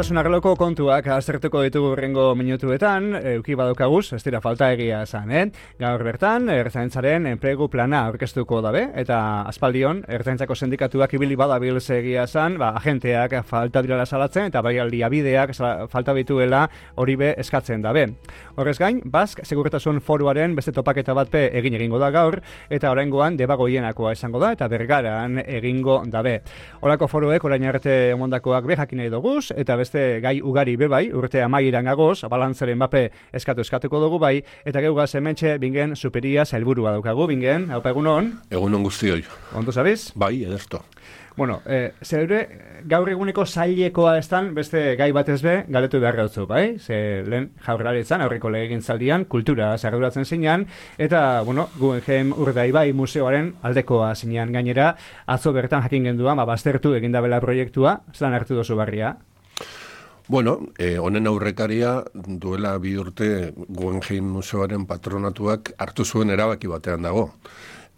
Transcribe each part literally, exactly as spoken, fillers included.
segurtasun arloko kontuak aztertuko ditugu rengo minutuetan, euki badokaguz, ez dira falta egia esan, eh? Gaur bertan, ertzaintzaren enplegu plana aurkeztuko dabe, eta aspaldion, ertzaintzako sindikatuak ibili badabil egia esan, ba, agenteak falta direla salatzen, eta bai aldi abideak falta bituela hori be eskatzen dabe. Horrez gain, Bask Segurtasun Foruaren beste topaketa bat pe egin egingo da gaur, eta oraingoan debagoienakoa izango da, eta Bergaran egingo dabe. Horako foruek orain arte emondakoak be jakin nahi doguz, eta beste gai ugari be bai, urte amaieran gagoz, balantzaren bape eskatu eskatuko dugu bai, eta geugaz hementxe bingen superia zailburua daukagu, bingen, haupa egunon? Egunon guztioi. Ondo zabiz? Bai, ederto. Bueno, eh, zeure, gaur eguneko zailekoa estan, beste gai batez be, galetu behar gautzu, bai? Ze lehen jaurlaritzan, aurreko legegintzaldian, kultura zarduratzen zinean, eta, bueno, Guggenheim Urdaibai museoaren aldekoa zinean gainera, atzo bertan jakin genduan, ba, baztertu egindabela proiektua, zelan hartu dozu barria? Bueno, eh, honen aurrekaria duela bi urte Guggenheim museoaren patronatuak hartu zuen erabaki batean dago.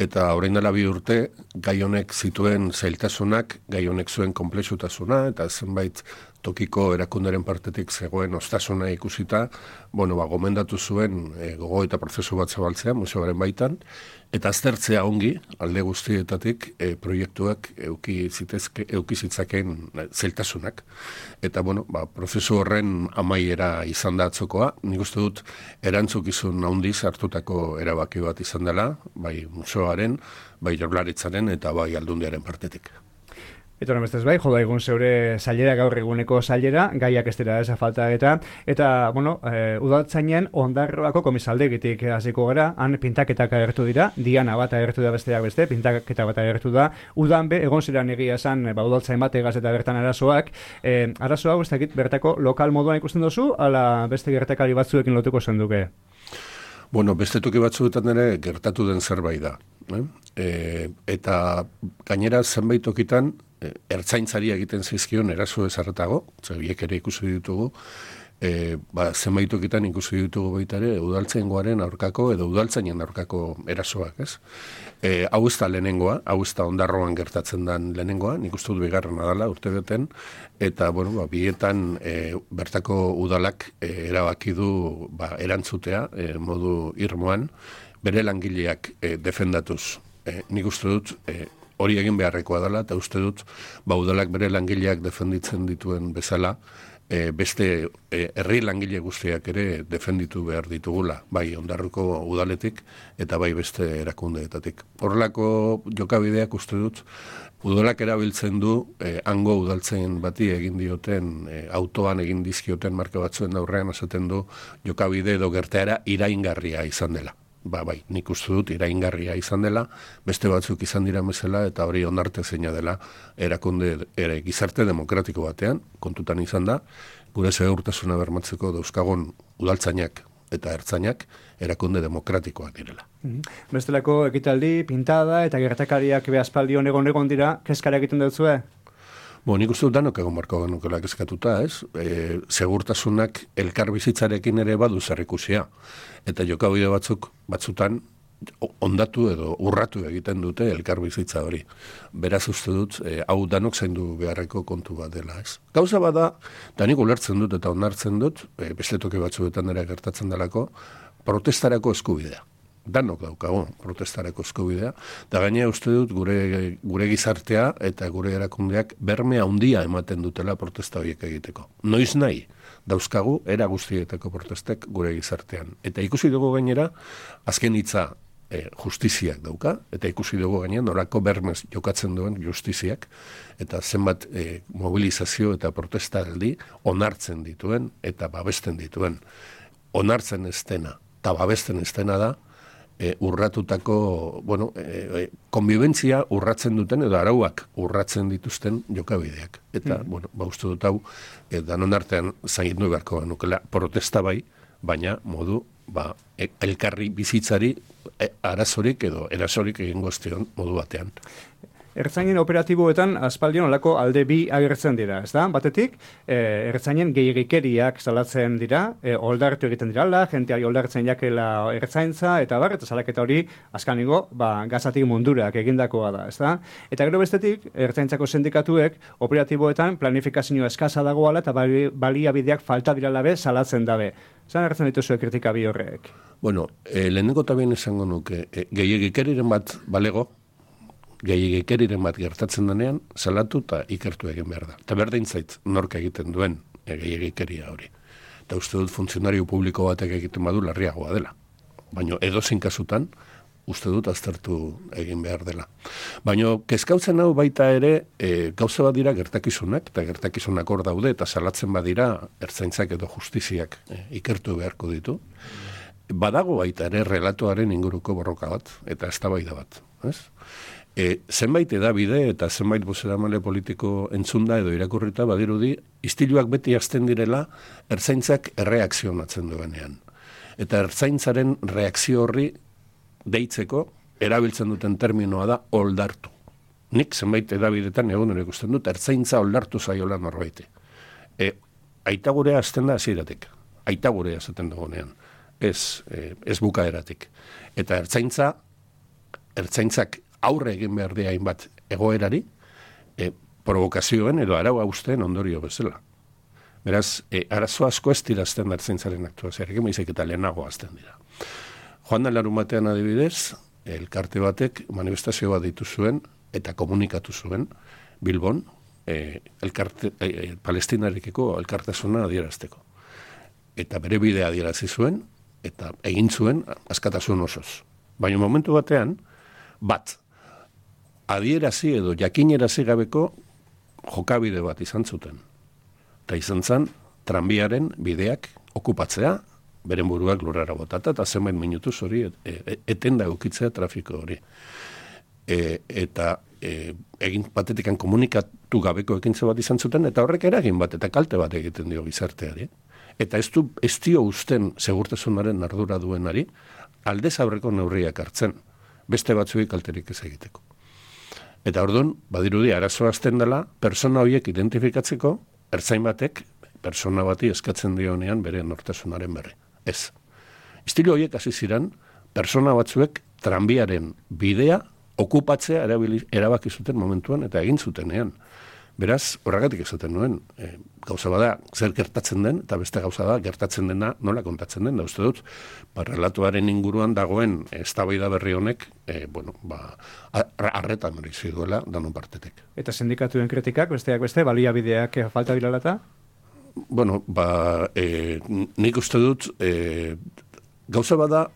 Eta orain dela bi urte, gai honek zituen zailtasunak, gai honek zuen konplexutasuna, eta zenbait tokiko erakunderen partetik zegoen ostasuna ikusita, bueno, ba, gomendatu zuen e, gogo eta prozesu bat zabaltzea museoaren baitan, eta aztertzea ongi, alde guztietatik, e, proiektuak euki zitezke, euki zitzaken zailtasunak. Eta, bueno, ba, prozesu horren amaiera izan da atzokoa, nik uste dut erantzukizun handiz hartutako erabaki bat izan dela, bai museoaren, bai Jaurlaritzaren eta bai Aldundiaren partetik. Eta honen bestez bai, joda egun zeure zailera, gaur eguneko zailera, gaiak ez dira eza falta eta, eta, bueno, e, udaltzainen Ondarroako komisaldegitik hasiko gara, han pintaketak agertu dira, diana bat agertu da besteak beste, pintaketa bat agertu da, udan be, egon ziren egia esan, ba, udaltzain bat egaz eta bertan arazoak, e, arazoa ez dakit bertako lokal moduan ikusten duzu, ala beste gertakari batzuekin lotuko zenduke? Bueno, beste toki batzuetan ere gertatu den zerbait da. Eh? E, eta gainera zenbait tokitan, ertzaintzari egiten zaizkion eraso ezarretago, biek ere ikusi ditugu, e, ba, zenbait tokitan ikusi ditugu baita ere udaltzaingoaren aurkako edo udaltzainen aurkako erasoak, ez? E, hau ez da lehenengoa, hau ez da Ondarroan gertatzen den lehenengoa, nik uste dut bigarrena dela urte beten, eta bueno, ba, bietan e, bertako udalak e, erabaki du ba, erantzutea e, modu irmoan, bere langileak e, defendatuz. E, nik uste dut e, hori egin beharrekoa dela, eta uste dut, ba, udalak bere langileak defenditzen dituen bezala, e, beste e, herri langile guztiak ere defenditu behar ditugula, bai Ondarruko udaletik eta bai beste erakundeetatik. Horrelako jokabideak uste dut, udalak erabiltzen du, e, hango udaltzen bati egin dioten, e, autoan egin dizkioten marka batzuen aurrean esaten du, jokabide edo gertaera iraingarria izan dela. Ba, bai, nik uste dut iraingarria izan dela, beste batzuk izan dira mesela, eta hori onartezina dela erakunde ere gizarte demokratiko batean, kontutan izan da, gure segurtasuna bermatzeko dauzkagon udaltzainak eta ertzainak erakunde demokratikoak direla. Mm-hmm. Bestelako ekitaldi, pintada eta gertakariak behazpaldion egon egon dira, kezkara egiten dutzue? Bo, nik uste dut danok egon marko genukela kezkatuta, ez? E, segurtasunak elkar bizitzarekin ere badu zerrikusia. Eta jokabide batzuk, batzutan, ondatu edo urratu egiten dute elkar bizitza hori. Beraz uste dut, e, hau danok zaindu beharreko kontu bat dela, ez? Gauza bada, da nik ulertzen dut eta onartzen dut, e, beste toki batzuetan ere gertatzen delako, protestarako eskubidea. Danok daukago protestarako eskubidea, da gainea uste dut gure, gure gizartea eta gure erakundeak berme handia ematen dutela protesta horiek egiteko. Noiz nahi, dauzkagu era guztietako protestek gure gizartean. Eta ikusi dugu gainera, azken hitza e, justiziak dauka, eta ikusi dugu gainera norako bermez jokatzen duen justiziak, eta zenbat e, mobilizazio eta protestaldi onartzen dituen eta babesten dituen. Onartzen ez dena eta babesten ez dena da, E, urratutako, bueno, e, konbibentzia urratzen duten edo arauak urratzen dituzten jokabideak. Eta, mm. bueno, ba uste dut hau, e, danon artean zaindu beharko nukela protesta bai, baina modu, ba, e, elkarri bizitzari e, arazorik edo erasorik egingo estion modu batean. Ertzainen operatiboetan aspaldion olako alde bi agertzen dira, ez da? Batetik, e, ertzainen gehiagikeriak salatzen dira, e, oldartu egiten dirala, jenteari oldartzen jakela ertzaintza, eta bar, eta salaketa hori, azkanigo, ba, gazatik mundurak egindakoa da, ez da? Eta gero bestetik, ertzaintzako sindikatuek operatiboetan planifikazio eskasa dagoala eta bali, baliabideak falta dirala be salatzen dabe. Zan agertzen dituzue kritika bi horrek? Bueno, e, lehenengo tabien esango nuke, e, gehiagikeriren bat balego, gehiagikeriren bat gertatzen denean, salatu eta ikertu egin behar da. Eta berdin zait, nork egiten duen e, gehiagikeria hori. Eta uste dut funtzionario publiko batek egiten badu larriagoa dela. Baina edozein kasutan, uste dut aztertu egin behar dela. Baina kezkautzen hau baita ere, e, gauza bat dira gertakizunak, eta gertakizunak hor daude, eta salatzen badira ertzaintzak edo justiziak e, ikertu beharko ditu. Badago baita ere relatoaren inguruko borroka bat, eta eztabaida bat. Ez? E, zenbait edabide eta zenbait bozeramale politiko entzunda edo irakurrita badirudi, istiluak beti hasten direla ertzaintzak erreakzionatzen duenean. Eta ertzaintzaren reakzio horri deitzeko erabiltzen duten terminoa da oldartu. Nik zenbait edabidetan egun ere ikusten dut, ertzaintza oldartu zaiola norbaiti. E, aitagurea hasten da hasieratik. Aitagurea esaten dugunean. Ez, e, ez bukaeratik. Eta ertzaintza, ertzaintzak aurre egin behar dira hainbat egoerari, e, provokazioen edo arau hausten ondorio bezala. Beraz, e, arazo asko ez dirazten ertzaintzaren aktuazioarekin, baizik eta lehenago azten dira. Joan da larun batean adibidez, elkarte batek manifestazio bat ditu zuen eta komunikatu zuen Bilbon, e, elkarte, e, palestinarekiko elkartasuna adierazteko. Eta bere bidea adierazi zuen, eta egin zuen askatasun osoz. Baina momentu batean, bat, adierazi edo jakinerazi gabeko jokabide bat izan zuten. Eta izan zen, tranbiaren bideak okupatzea, beren buruak lurrara botata, eta zenbait minutuz hori et, et, etenda ukitzea trafiko hori. E, eta e, egin batetikan komunikatu gabeko ekintza bat izan zuten, eta horrek eragin bat, eta kalte bat egiten dio gizarteari. Eta ez, du, ez dio usten segurtasunaren ardura duenari, aldez aurreko neurriak hartzen, beste batzuei kalterik ez egiteko. Eta orduan, badirudi, arazoa azten dela, persona horiek identifikatzeko, ertzain batek, persona bati eskatzen dionean bere nortasunaren berri. Ez. Estilo horiek hasi ziren, persona batzuek tranbiaren bidea okupatzea erabili, erabaki zuten momentuan eta egin zutenean. Beraz, horregatik esaten nuen, e, gauza bada zer gertatzen den, eta beste gauza da gertatzen dena nola kontatzen den, da uste dut, ba, relatuaren inguruan dagoen eztabaida berri honek, e, bueno, ba, arreta merezi duela danon partetek. Eta sindikatuen kritikak, besteak beste, baliabideak falta bilalata? Bueno, ba, e, nik uste dut, e, gauza bada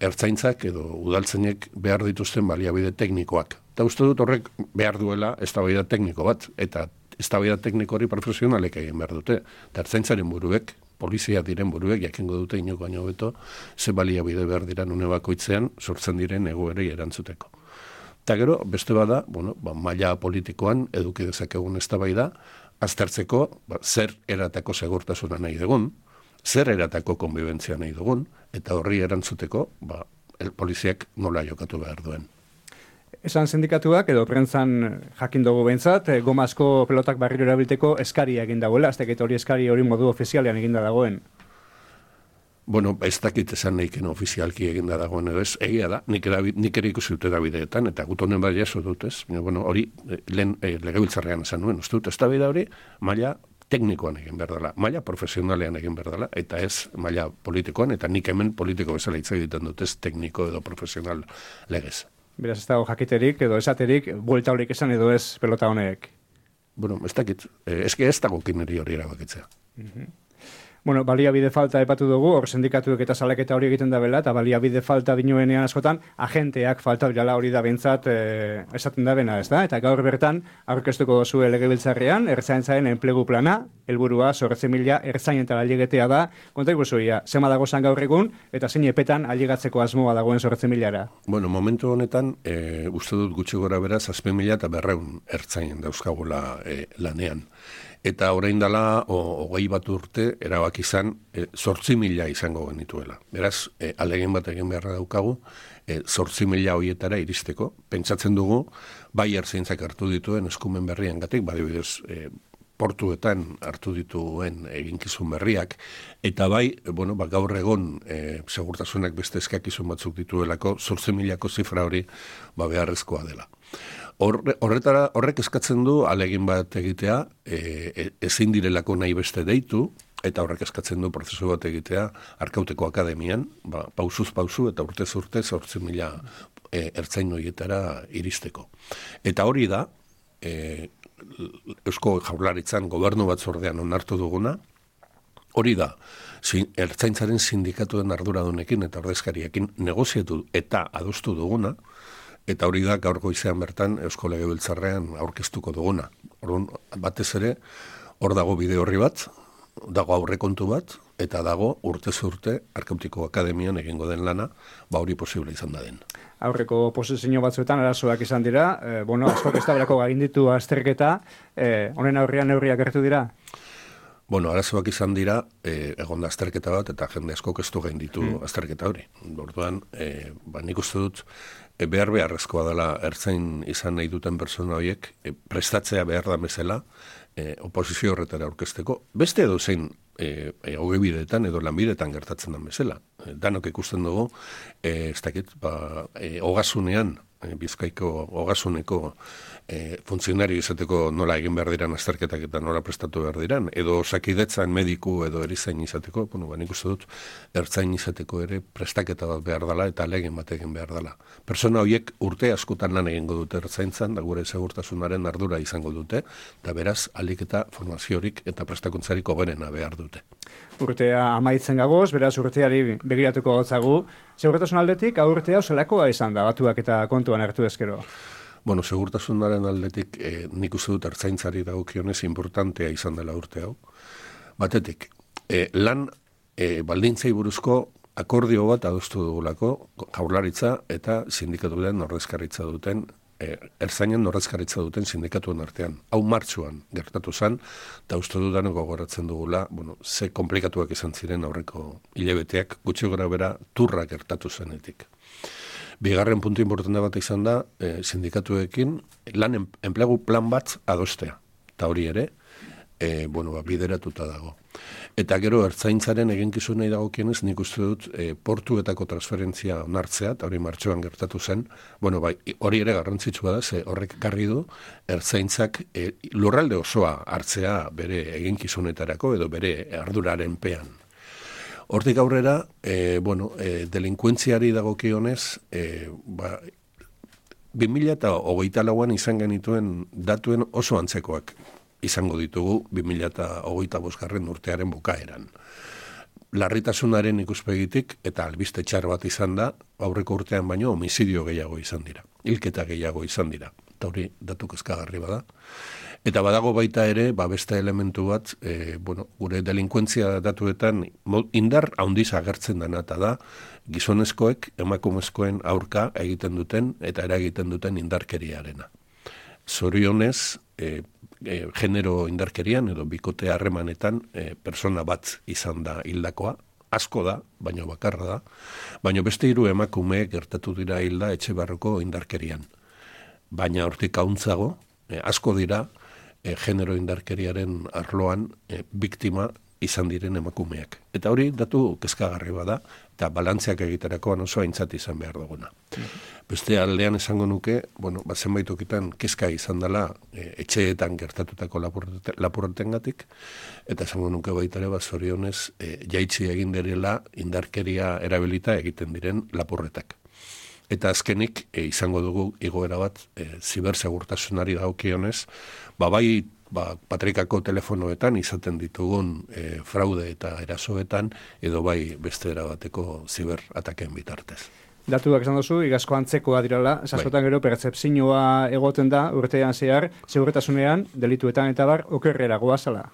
ertzaintzak edo udaltzainek behar dituzten baliabide teknikoak. Eta uste dut horrek behar duela eztabaida tekniko bat, eta eztabaida tekniko hori profesionalek egin behar dute. Eta ertzaintzaren buruek, polizia diren buruek, jakingo dute inoko baino beto, ze baliabide behar dira une bakoitzean sortzen diren egoerei erantzuteko. Eta gero, beste bada, bueno, ba, maila politikoan eduki dezakegun eztabaida, aztertzeko ba, zer eratako segurtasuna nahi dugun, zer eratako konbibentzia nahi dugun, eta horri erantzuteko, ba, el poliziak nola jokatu behar duen. Esan sindikatuak edo prentzan jakin dugu behintzat, e, gomazko pelotak barriro erabilteko eskaria egin dagoela, azteket hori eskari hori modu ofizialean eginda dagoen. Bueno, ez dakit esan nahiken ofizialki eginda dagoen edo ez, egia da, nik, erabi, nik ere ikusi dute Davideetan, eta gut honen bat jaso dut ez, bueno, hori lehen e, legebiltzarrean esan nuen, uste dut, ez da bida hori, maila teknikoan egin behar dela, maila profesionalean egin behar dela, eta ez maila politikoan, eta nik hemen politiko bezala hitz egiten dut, ez tekniko edo profesional legez. Beraz ez dago jakiterik edo esaterik, buelta horik esan edo ez pelota honek. Bueno, ez dakit, ez ez dago kineri hori erabakitzea. Mm-hmm. Bueno, baliabide falta epatu dugu, hor sindikatuek eta salaketa hori egiten da bela, eta baliabide falta dinoenean askotan, agenteak falta birala hori da bentsat e, esaten da bena, ez da? Eta gaur bertan, aurkeztuko duzue legebiltzarrean, ertzaintzaren enplegu plana, helburua zortzi mila ertzain eta ailegetea da, konta ikusuia, zema dago zan gaur egun, eta zein epetan ailegatzeko asmoa dagoen zortzi milara? Bueno, momentu honetan, e, uste dut gutxi gora beraz, zazpi mila eta berreun ertzain dauzkagula e, lanean. eta orain dela, hogei bat urte, erabaki izan, zortzi mila izango genituela. Beraz, e, alegin bat egin beharra daukagu, zortzi mila horietara iristeko. Pentsatzen dugu, bai ertzaintzak hartu dituen eskumen berrian gatik, badibidez, e, portuetan hartu dituen eginkizun berriak, eta bai, bueno, ba, gaur egon e, segurtasunak beste eskakizun batzuk dituelako, zortzi milako zifra hori ba, beharrezkoa dela. Horre, horretara, horrek eskatzen du alegin bat egitea, e, ezin direlako nahi beste deitu, eta horrek eskatzen du prozesu bat egitea Arkauteko Akademian, ba, pausuz pausu eta urtez urte zortzi mila e, ertzain horietara iristeko. Eta hori da, e, Eusko Jaurlaritzan gobernu batzordean onartu duguna, hori da, zin, ertzaintzaren sindikatuen arduradunekin eta ordezkariekin negoziatu eta adostu duguna, eta hori da gaur goizean bertan Eusko Legebiltzarrean aurkeztuko duguna. Orduan, batez ere, hor dago bide horri bat, dago aurrekontu bat, eta dago urtez urte Arkautiko Akademian egingo den lana, ba hori posible izan da den. Aurreko posizio batzuetan arazoak izan dira, e, bueno, askok ez daberako gainditu azterketa, e, honen aurrian neurriak hartu dira? Bueno, arazoak izan dira, e, egon da azterketa bat, eta jende askok ez du gainditu mm. azterketa hori. Orduan, e, ba, nik uste dut, e, behar beharrezkoa dela ertzain izan nahi duten persona horiek, e, prestatzea behar da bezala, e, oposizio horretara aurkezteko. Beste edo zein, E, e, ogebideetan edo lanbideetan gertatzen den bezala. E, danok ikusten dugu, e, ez dakit, ba, e, ogasunean, e, Bizkaiko ogasuneko e, funtzionario izateko nola egin behar diran azterketak eta nola prestatu behar diran, edo osakidetzan mediku edo erizain izateko, bueno, ba, nik uste dut, ertzain izateko ere prestaketa bat behar dela eta alegin bat egin behar dela. Persona horiek urte askotan lan egingo dute ertzaintzan, da gure segurtasunaren ardura izango dute, eta beraz, alik eta formaziorik eta prestakuntzarik hoberena behar dute. Urtea amaitzen gagoz, beraz urteari begiratuko gotzagu. Segurtasun aldetik, aurtea oselakoa izan da, batuak eta kontuan hartu ezkero. Bueno, segurtasunaren aldetik eh, nik uste dut ertzaintzari dagokionez importantea izan dela urte hau. Batetik, eh, lan eh, baldintzei buruzko akordio bat adostu dugulako Jaurlaritza eta sindikatuen ordezkaritza duten E, ertzainen ordezkaritza duten sindikatuen artean. Hau martxuan gertatu zen, eta uste dudan gogoratzen dugula, bueno, ze komplikatuak izan ziren aurreko hilabeteak, gutxi gora bera turra gertatu zenetik. Bigarren puntu importante bat izan da, e, sindikatuekin lan enplegu plan bat adostea. Eta hori ere, e, bueno, ba, bideratuta dago. Eta gero ertzaintzaren eginkizunei dagokienez, nik uste dut e, portuetako transferentzia onartzea, eta hori martxoan gertatu zen, bueno, bai, hori ere garrantzitsua da, ze horrek garri du, ertzaintzak e, lurralde osoa hartzea bere eginkizunetarako edo bere arduraren pean. Hortik aurrera, e, bueno, e, delinkuentziari dagokionez, e, ba, bi mila hogeita lauan izan genituen datuen oso antzekoak izango ditugu bi mila hogeita bosgarren urtearen bukaeran. Larritasunaren ikuspegitik eta albiste txar bat izan da, aurreko urtean baino homizidio gehiago izan dira, hilketa gehiago izan dira, eta hori datu kezkagarri bada. Eta badago baita ere, ba beste elementu bat, e, bueno, gure delinkuentzia datuetan indar handiz agertzen dena, eta da, gizonezkoek emakumezkoen aurka egiten duten eta eragiten duten indarkeriarena. Zorionez, e, E, genero indarkerian edo bikote harremanetan e, persona bat izan da hildakoa, asko da, baina bakarra da, baina beste hiru emakume gertatu dira hilda etxe barroko indarkerian. Baina hortik hauntzago, e, asko dira e, genero indarkeriaren arloan e, biktima izan diren emakumeak. Eta hori datu kezkagarri bada, eta balantziak egiterakoan oso aintzat izan behar duguna. Beste aldean esango nuke, bueno, bat zenbaitokitan kezka izan dela e, etxeetan gertatutako lapurretengatik, eta esango nuke baitare bat zorionez e, jaitsi egin direla indarkeria erabilita egiten diren lapurretak. Eta azkenik e, izango dugu igoera bat e, zibersegurtasunari dagokionez, ba bai ba, patrikako telefonoetan izaten ditugun e, fraude eta erasoetan, edo bai beste erabateko ziberataken bitartez. Datuak esan duzu, igazko antzekoa dirala, esaskotan bai. Gero pertzepzioa egoten da urtean zehar, segurtasunean, delituetan eta bar, okerrera goazala.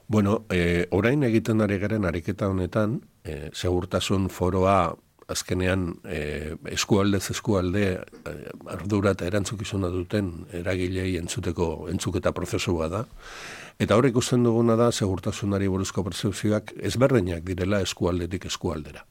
Bueno, e, orain egiten ari garen ariketa honetan, e, segurtasun foroa azkenean e, eskualdez eskualde e, ardura eta erantzukizuna duten eragilei entzuteko entzuketa prozesua da. Eta hor ikusten duguna da, segurtasunari buruzko pertsepzioak ezberdinak direla eskualdetik eskualdera.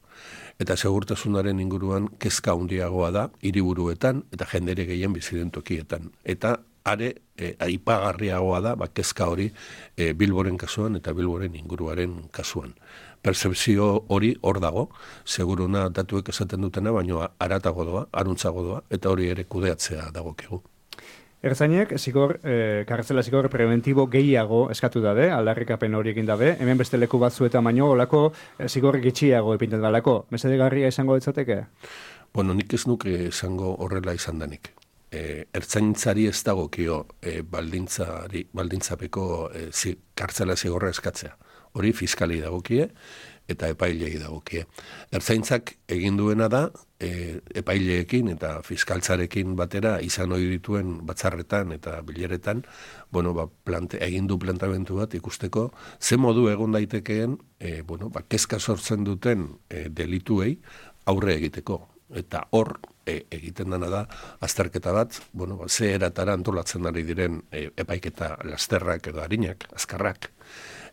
Eta segurtasunaren inguruan kezka handiagoa da hiriburuetan eta jendere gehien bizi den tokietan. Eta are e, aipagarriagoa da, ba, kezka hori e, Bilboren kasuan eta Bilboren inguruaren kasuan. Percepzio hori hor dago, seguruna datuek esaten dutena, baino aratago doa, aruntzago doa, eta hori ere kudeatzea dagokigu. Ertzainek, zigor, eh, kartzela zigor preventibo gehiago eskatu dabe, aldarrikapen hori egin dabe, hemen beste leku batzuetan baino, olako eh, zigor gitxiago epinten dalako. Mesedegarria izango ditzateke? Bueno, nik ez nuke esango horrela izan danik. E, ertzaintzari ez dagokio e, baldintzari, baldintzapeko e, zi, kartzela zigorra eskatzea. Hori fiskali dagokie eta epailei dagokie. Ertzaintzak egin duena da e, epaileekin eta fiskaltzarekin batera izan ohi dituen batzarretan eta bileretan, bueno, ba, plante, egin du plantamentu bat ikusteko ze modu egon daitekeen e, bueno, ba, kezka sortzen duten e, delituei aurre egiteko. Eta hor e, egiten dena da azterketa bat, bueno, ba, ze eratara antolatzen ari diren e, epaiketa lasterrak edo arinak, azkarrak,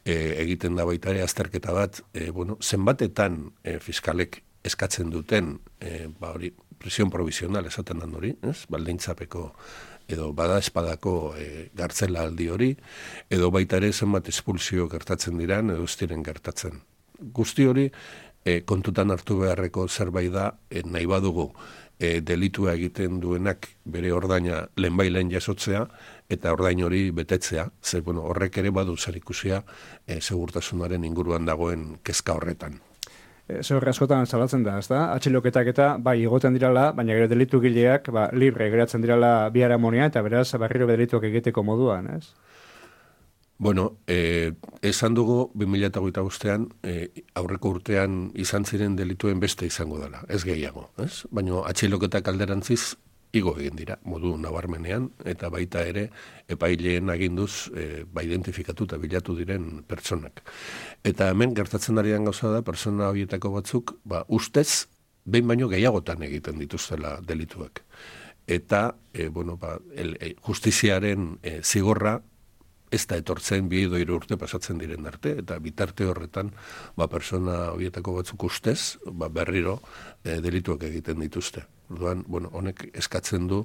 E, egiten da baita ere azterketa bat, e, bueno, zenbatetan e, fiskalek eskatzen duten, e, ba hori, prisión provisional esaten dan hori, ez? Baldintzapeko edo bada espadako e, gartzela aldi hori, edo baita ere zenbat espulsio gertatzen diran, edo ez diren gertatzen. Guzti hori e, kontutan hartu beharreko zerbait da, e, nahi badugu, E, delitua egiten duenak bere ordaina lehenbailen jasotzea eta ordain hori betetzea, zer bueno, horrek ere badu zer ikusia e, segurtasunaren inguruan dagoen kezka horretan. E, Zer askotan salatzen da, ez da? Atxiloketak eta bai igoten dirala, baina gero delitu gileak ba, libre geratzen dirala biharamonia eta beraz barriro delituak egiteko moduan, ez? Bueno, eh, esan dugu bi mila hogeita bostean eh, aurreko urtean izan ziren delituen beste izango dela, ez gehiago, ez? Baina atxiloketak alderantziz igo egin dira, modu nabarmenean, eta baita ere epaileen aginduz eh, ba identifikatu eta bilatu diren pertsonak. Eta hemen gertatzen ari den gauza da, pertsona horietako batzuk, ba, ustez, behin baino gehiagotan egiten dituztela delituak. Eta, eh, bueno, ba, el, eh, justiziaren eh, zigorra, ez da etortzen bi edo hiru urte pasatzen diren arte, eta bitarte horretan ba, persona horietako batzuk ustez, ba, berriro e, delituak egiten dituzte. Orduan, bueno, honek eskatzen du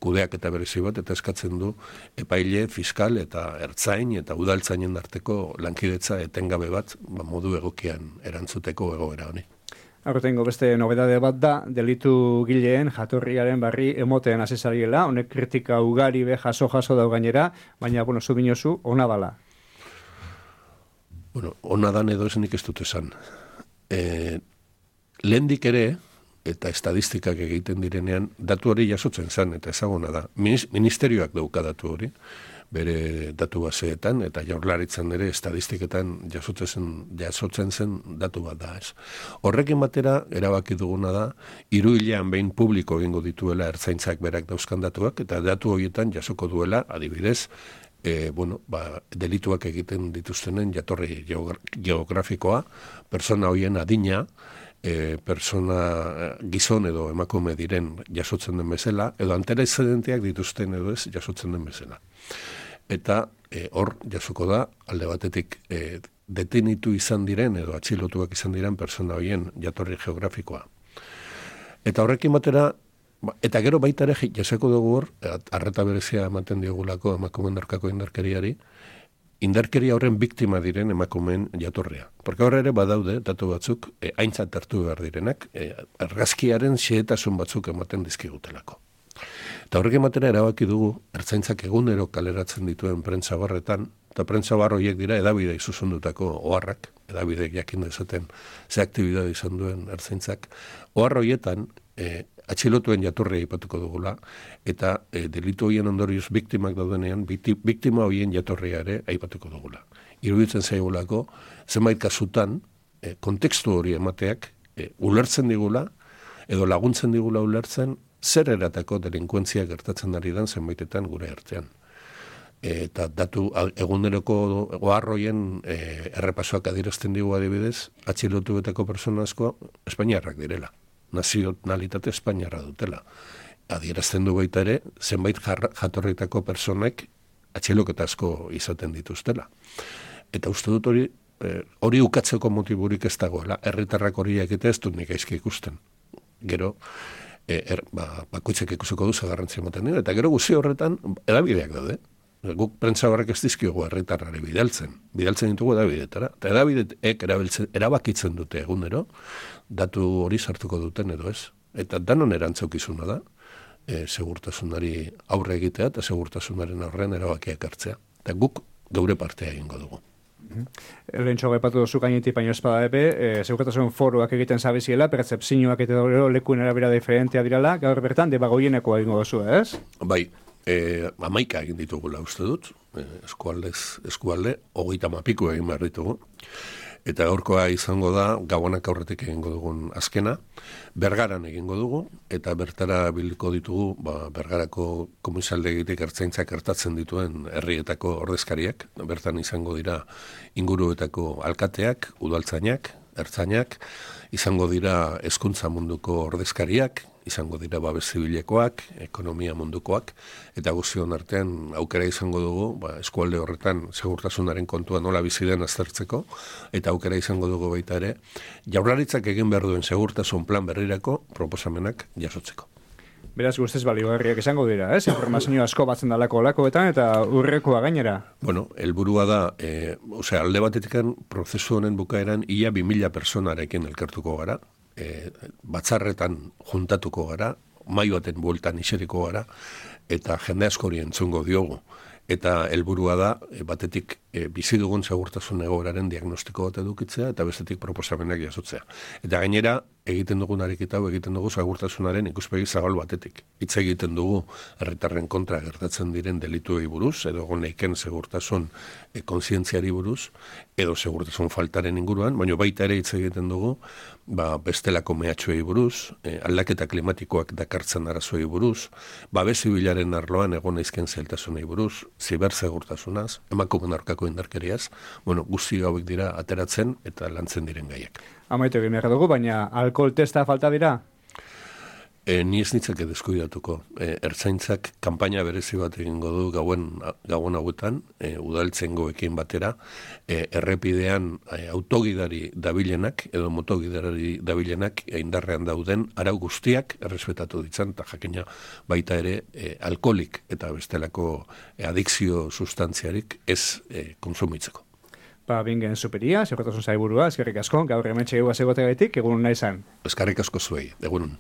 kudeak eta berezi bat, eta eskatzen du epaile, fiskal eta ertzain eta udaltzainen arteko lankidetza etengabe bat ba, modu egokian erantzuteko egoera honi. Aurtengo beste nobedade bat da, delitu gileen jatorriaren barri emoten azizariela, honek kritika ugari be jaso-jaso dau gainera, baina, bueno, zu binozu, ona bala. Bueno, ona dan edo esenik ez dut esan. E, lehendik ere, eta estadistikak egiten direnean, datu hori jasotzen zen, eta ezaguna da. Ministerioak dauka datu hori, bere datu baseetan, eta jaurlaritzan ere estadistiketan jasotzen, jasotzen zen datu bat da. Ez. Horrekin batera, erabaki duguna da, hiru hilean behin publiko egingo dituela ertzaintzak berak dauzkan datuak, eta datu horietan jasoko duela, adibidez, e, bueno, ba, delituak egiten dituztenen jatorri geografikoa, persona horien adina, E, persona gizon edo emakume diren jasotzen den bezala, edo antecedenteak dituzten edo ez jasotzen den bezala. Eta e, hor jasoko da, alde batetik e, detenitu izan diren edo atxilotuak izan diren persona horien jatorri geografikoa. Eta horrekin batera, eta gero baita ere jasoko dugu hor, arreta berezia ematen diogulako emakumeen aurkako indarkeriari, indarkeria horren biktima diren emakumeen jatorria. Porque horre ere badaude, datu batzuk, e, aintzat hartu behar direnak, e, argazkiaren xehetasun batzuk ematen dizkigutelako. Eta horrek ematera erabaki dugu, ertzaintzak egunero kaleratzen dituen prentsa barretan, eta prentsa bar horiek dira edabidei zuzendutako oharrak, edabidek jakin dezaten ze aktibidade izan duen ertzaintzak, ohar horietan, e, atxilotuen jatorria aipatuko dugula, eta e, delitu horien ondorioz biktimak daudenean, biktima horien jatorria ere aipatuko dugula. Iruditzen zaigulako, zenbait kasutan, e, kontekstu hori emateak, e, ulertzen digula, edo laguntzen digula ulertzen, zer eratako delinkuentzia gertatzen ari den zenbaitetan gure artean. E, eta datu eguneroko oharroien e, errepasoak adierazten digu adibidez, atxilotuetako persona asko Espainiarrak direla. nazionalitate espainiarra dutela. Adierazten du baita ere, zenbait jatorritako personek atxiloketa asko izaten dituztela. Eta uste dut hori, hori eh, ukatzeko motiburik ez dagoela, herritarrak hori egite ez dut nik aizki ikusten. Gero, eh, er, ba, bakoitzek ikusiko duza garrantzia ematen dira, eta gero guzi horretan edabideak daude. Guk prentza horrek ez dizkiogu herritarrari bidaltzen. Bidaltzen ditugu edabidetara. Eta edabideek erabakitzen dute egunero, datu hori sartuko duten edo ez. Eta danon erantzaukizuna da, e, segurtasunari aurre egitea eta segurtasunaren aurrean erabakiak hartzea. Eta guk geure partea egingo dugu. Lehentxo gaipatu duzu gainetik baino espada epe, e, segurtasun foruak egiten zabiziela, pertzepzioak eta lekuen erabera diferentea dirala, gaur bertan debagoieneko egingo duzu, ez? Bai. E, amaika egin ditugula uste dut, e, eskualdez, eskualde, hogeita mapiku egin behar ditugu. Eta gaurkoa izango da, Gabonak aurretik egingo dugun azkena, Bergaran egingo dugu, eta bertara biliko ditugu, ba, Bergarako komisaldegitik ertzaintzak ertatzen dituen herrietako ordezkariak, bertan izango dira inguruetako alkateak, udaltzainak, ertzainak, izango dira hezkuntza munduko ordezkariak, izango dira babes zibilekoak, ekonomia mundukoak, eta guztion artean aukera izango dugu, ba, eskualde horretan segurtasunaren kontua nola bizi den aztertzeko, eta aukera izango dugu baita ere, Jaurlaritzak egin behar duen segurtasun plan berrirako proposamenak jasotzeko. Beraz guztiz baliogarriak izango dira, ez? Informazio asko batzen dalako olakoetan eta urrekoa gainera. Bueno, helburua da, e, osea, alde batetikan prozesu honen bukaeran ia bi mila personarekin elkartuko gara, e, batzarretan juntatuko gara, mai baten bueltan iseriko gara, eta jende askori entzungo diogu. Eta helburua da, e, batetik e, bizi dugun segurtasun egoeraren diagnostiko bat edukitzea, eta bestetik proposamenak jasotzea. Eta gainera, egiten dugun ariketa hau egiten dugu segurtasunaren ikuspegi zabal batetik. Hitz egiten dugu herritarren kontra gertatzen diren delituei buruz, edo goneiken segurtasun e, kontzientziari buruz, edo segurtasun faltaren inguruan, baina baita ere hitz egiten dugu ba, bestelako mehatxoei buruz, e, aldaketa klimatikoak dakartzen arazoei buruz, babes zibilaren arloan egon aizken zailtasunei buruz, zibersegurtasunaz, emakumeen aurkako indarkeriaz, bueno, guzti hauek dira ateratzen eta lantzen diren gaiak. Amaitu egin behar dugu, baina alkohol testa falta dira? E, ni ez nitzake deskuidatuko. E, ertzaintzak kanpaina berezi bat egingo du gauen, gauan hauetan, e, udaltzengoekin batera, e, errepidean e, autogidari dabilenak, edo motogidari dabilenak indarrean dauden, arau guztiak errespetatu ditzan, eta jakina baita ere e, alkoholik eta bestelako e, adikzio sustantziarik ez e, konsumitzeko. Ba, bingen superia, segurtasun zaiburua, eskerrik asko, gaur hemen txegua zegote gaitik, egun nahi zan. Eskerrik asko zuei, egun.